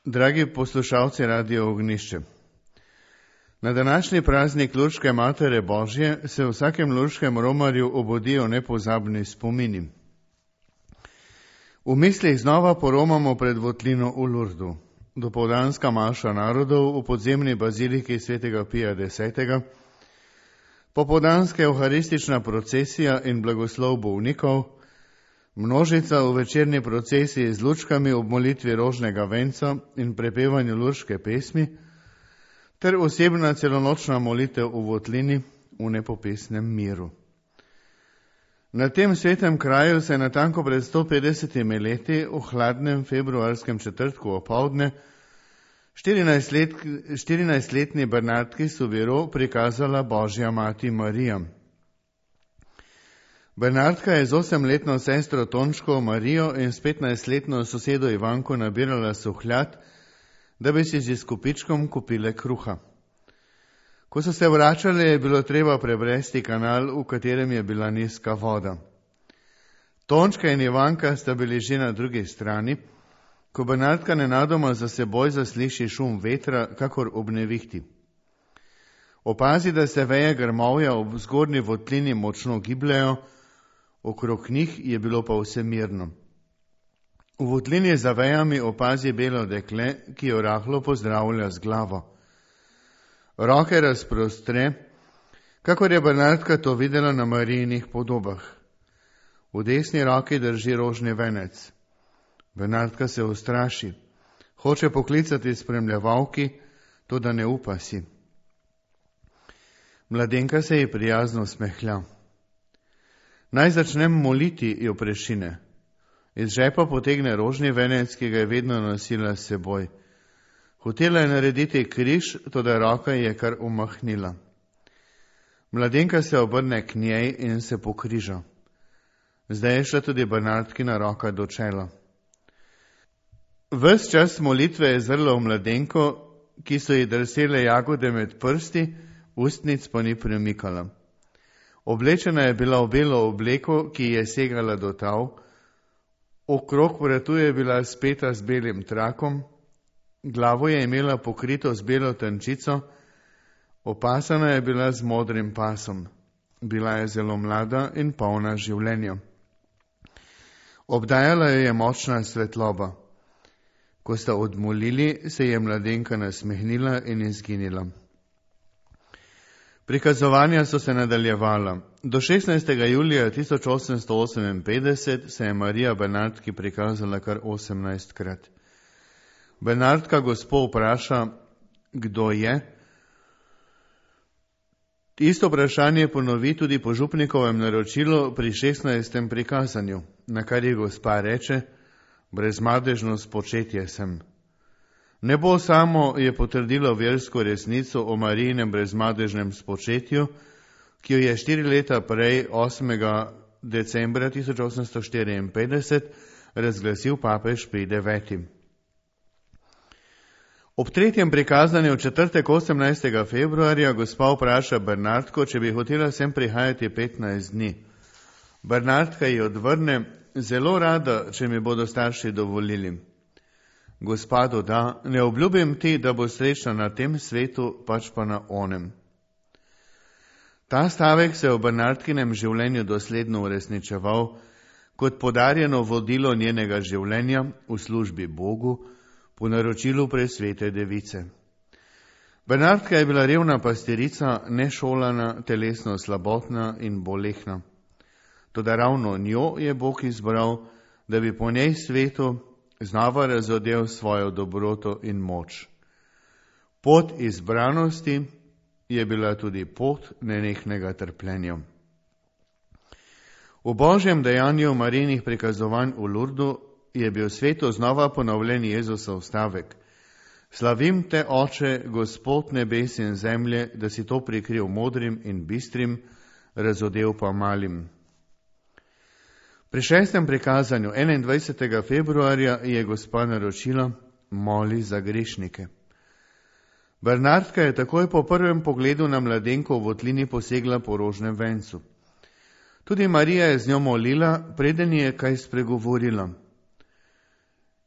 Dragi poslušalci Radio Ognjišče, na današnji praznik Lurške Matere Božje se v vsakem lurškem romarju obodijo nepozabni spomini. V mislih znova poromamo pred votlino v Lurdu, dopoldanska maša narodov v podzemni baziliki svetega Pija X, popoldanska evharistična procesija in blagoslov bolnikov, množica v večerni procesiji z lučkami ob molitvi rožnega venca in prepevanju lurške pesmi, ter osebna celonočna molitev v votlini v nepopesnem miru. Na tem svetem kraju se je natanko pred 150 leti v hladnem februarskem četrtku opoldne 14-letni Bernardki Soubirous prikazala Božja mati Marija. Bernardka je z 8-letno sestro Tončko Marijo in s 15-letno sosedo Ivanko nabirala suhljad, da bi si z kupičkom kupile kruha. Ko so se vračali, je bilo treba prebresti kanal, v katerem je bila nizka voda. Tončka in Ivanka sta bili že na drugi strani, ko Bernardka nenadoma za seboj zasliši šum vetra, kakor ob nevihti. Opazi, da se veje grmovja ob zgornji votlini močno gibljajo, okrog njih je bilo pa vse mirno. V votlini za vejami opazi belo dekle, ki jo rahlo pozdravlja z glavo. Roke razprostre, kakor je Bernardka to videla na Marijinih podobah. V desni roki drži rožni venec. Bernardka se ustraši, hoče poklicati spremljevalki, toda ne upa si. Mladenka se ji prijazno smehlja. Naj začnem moliti, jo prešine. Iz žepa potegne rožni venec, ki ga je vedno nosila s seboj. Hotela je narediti križ, toda roka je kar umahnila. Mladenka se obrne k njej in se pokriža. Zdaj je šla tudi Bernardkina roka do čela. Ves čas molitve je zrla v mladenko, ki so ji drsele jagode med prsti, ustnic pa ni premikala. Oblečena je bila v belo obleko, ki je segala do tav, okrog vratu je bila speta z belim trakom, glavo je imela pokrito z belo tančico, opasana je bila z modrim pasom. Bila je zelo mlada in polna življenja. Obdajala jo je močna svetloba. Ko sta odmolili, se je mladenka nasmehnila in izginila. Prikazovanja so se nadaljevala. Do 16. julija 1858 se je Marija Bernardki prikazala kar 18krat. Bernardka gospo vpraša, kdo je. Isto vprašanje ponovi tudi po župnikovem naročilu pri 16. prikazanju, na kar je gospa reče, brezmadežno spočetje sem. Nebo samo je potrdilo versko resnico o Marijinem brezmadežnem spočetju, ki jo je 4 leta prej, 8. decembra 1854, razglasil papež Pij IX. Ob tretjem prikazanju v četrtek 18. februarja gospa vpraša Bernardko, če bi hotela sem prihajati 15 dni. Bernardka ji odvrne, zelo rada, če mi bodo starši dovolili. Gospa doda, ne obljubim ti, da bo srečna na tem svetu, pač pa na onem. Ta stavek se je v Bernardkinem življenju dosledno uresničeval kot podarjeno vodilo njenega življenja v službi Bogu po naročilu presvete device. Bernardka je bila revna pastirica, nešolana, telesno slabotna in bolehna. Toda ravno njo je Bog izbral, da bi po njej svetu znova razodel svojo dobroto in moč. Pot izbranosti je bila tudi pot nenehnega trpljenja. V Božjem dejanju Marijinih prikazovanj v Lurdu je bil svetu znova ponovljen Jezusov stavek. Slavim te, Oče, Gospod nebes in zemlje, da si to prikril modrim in bistrim, razodel pa malim. Pri 6. prikazanju 21. februarja je gospa naročila, moli za grešnike. Bernardka je takoj po prvem pogledu na mladenko v votlini posegla po rožnem vencu. Tudi Marija je z njo molila, preden je kaj spregovorila.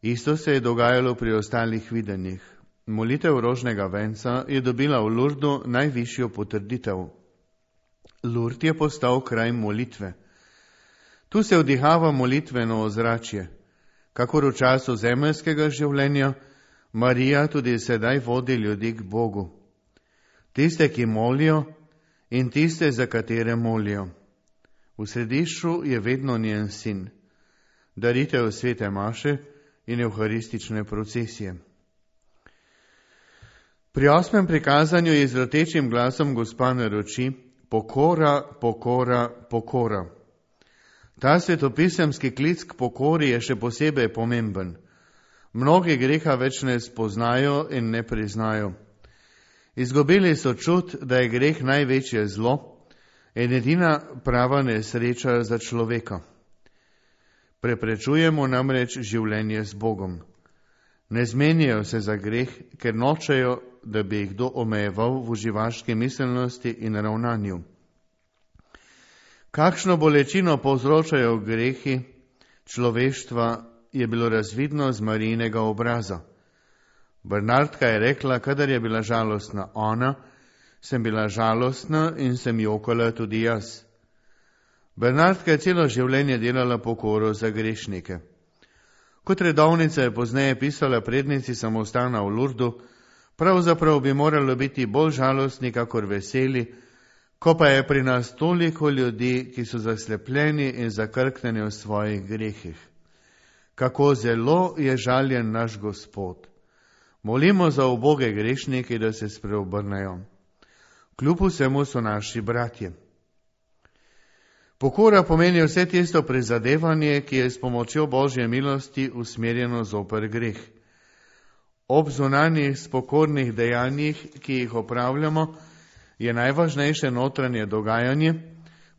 Isto se je dogajalo pri ostalih videnjih. Molitev rožnega venca je dobila v Lurdu najvišjo potrditev. Lurd je postal kraj molitve. Tu se vdihava molitveno ozračje. Kakor v času zemeljskega življenja, Marija tudi sedaj vodi ljudi k Bogu. Tiste, ki molijo, in tiste, za katere molijo. V središču je vedno njen sin, daritev svete maše in evharistične procesije. Pri 8. prikazanju je z rotečim glasom Gospa naroči: pokora, pokora, pokora. Ta svetopisemski klic k pokori je še posebej pomemben. Mnogi greha več ne spoznajo in ne priznajo. Izgubili so čut, da je greh največje zlo in edina prava nesreča za človeka. Preprečujemo namreč življenje z Bogom. Ne zmenijo se za greh, ker nočejo, da bi jih kdo omejeval v uživaški miselnosti in ravnanju. Kakšno bolečino povzročajo grehi človeštva, je bilo razvidno z Marijinega obraza. Bernardka je rekla, kadar je bila žalostna ona, sem bila žalostna in sem jokala tudi jaz. Bernardka je celo življenje delala pokoro za grešnike. Kot redovnica je pozneje pisala prednici samostana v Lurdu, pravzaprav bi moralo biti bolj žalostni, kakor veseli, ko pa je pri nas toliko ljudi, ki so zaslepljeni in zakrknjeni v svojih grehih. Kako zelo je žaljen naš Gospod. Molimo za uboge grešnike, da se spreobrnejo. Kljub vsemu so naši bratje. Pokora pomeni vse tisto prizadevanje, ki je s pomočjo Božje milosti usmerjeno zoper greh. Ob zunanjih spokornih dejanjih, ki jih opravljamo, je najvažnejše notranje dogajanje,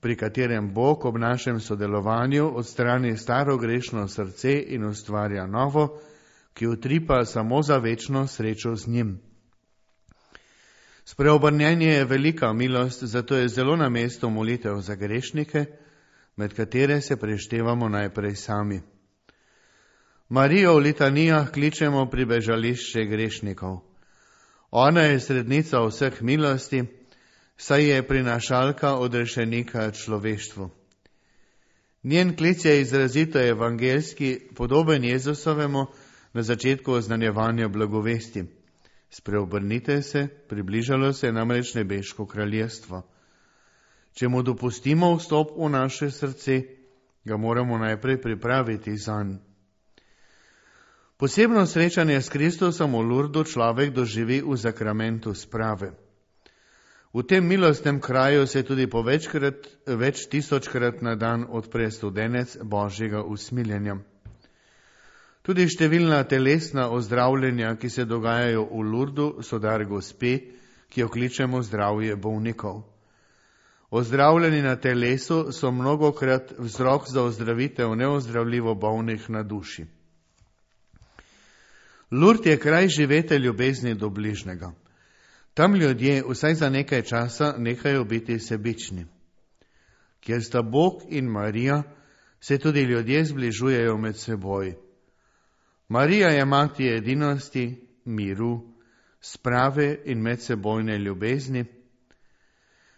pri katerem Bog ob našem sodelovanju odstrani staro grešno srce in ustvarja novo, ki utripa samo za večno srečo z njim. Spreobrnjenje je velika milost, zato je zelo na mestu molitev za grešnike, med katere se preštevamo najprej sami. Marijo v litanijah kličemo pribežališče grešnikov. Ona je srednica vseh milosti, saj je prinašalka odrešenika človeštvu. Njen klic je izrazito evangeljski, podoben Jezusovemu na začetku oznanjevanja blagovesti. Spreobrnite se, približalo se je namreč nebeško kraljestvo. Če mu dopustimo vstop v naše srce, ga moramo najprej pripraviti zanj. Posebno srečanje s Kristusom v Lurdu človek doživi v zakramentu sprave. V tem milostnem kraju se tudi po več tisočkrat na dan odpre studenec Božjega usmiljenja. Tudi številna telesna ozdravljenja, ki se dogajajo v Lurdu, so dar Gospe, ki jo kličemo zdravje bolnikov. Ozdravljeni na telesu so mnogokrat vzrok za ozdravitev neozdravljivo bolnih na duši. Lurd je kraj živete ljubezni do bližnjega. Tam ljudje vsaj za nekaj časa nehajo biti sebični. Kjer sta Bog in Marija, se tudi ljudje zbližujejo med seboj. Marija je mati edinosti, miru, sprave in medsebojne ljubezni.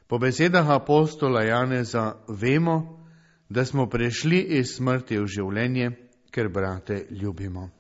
Po besedah apostola Janeza vemo, da smo prešli iz smrti v življenje, ker brate ljubimo.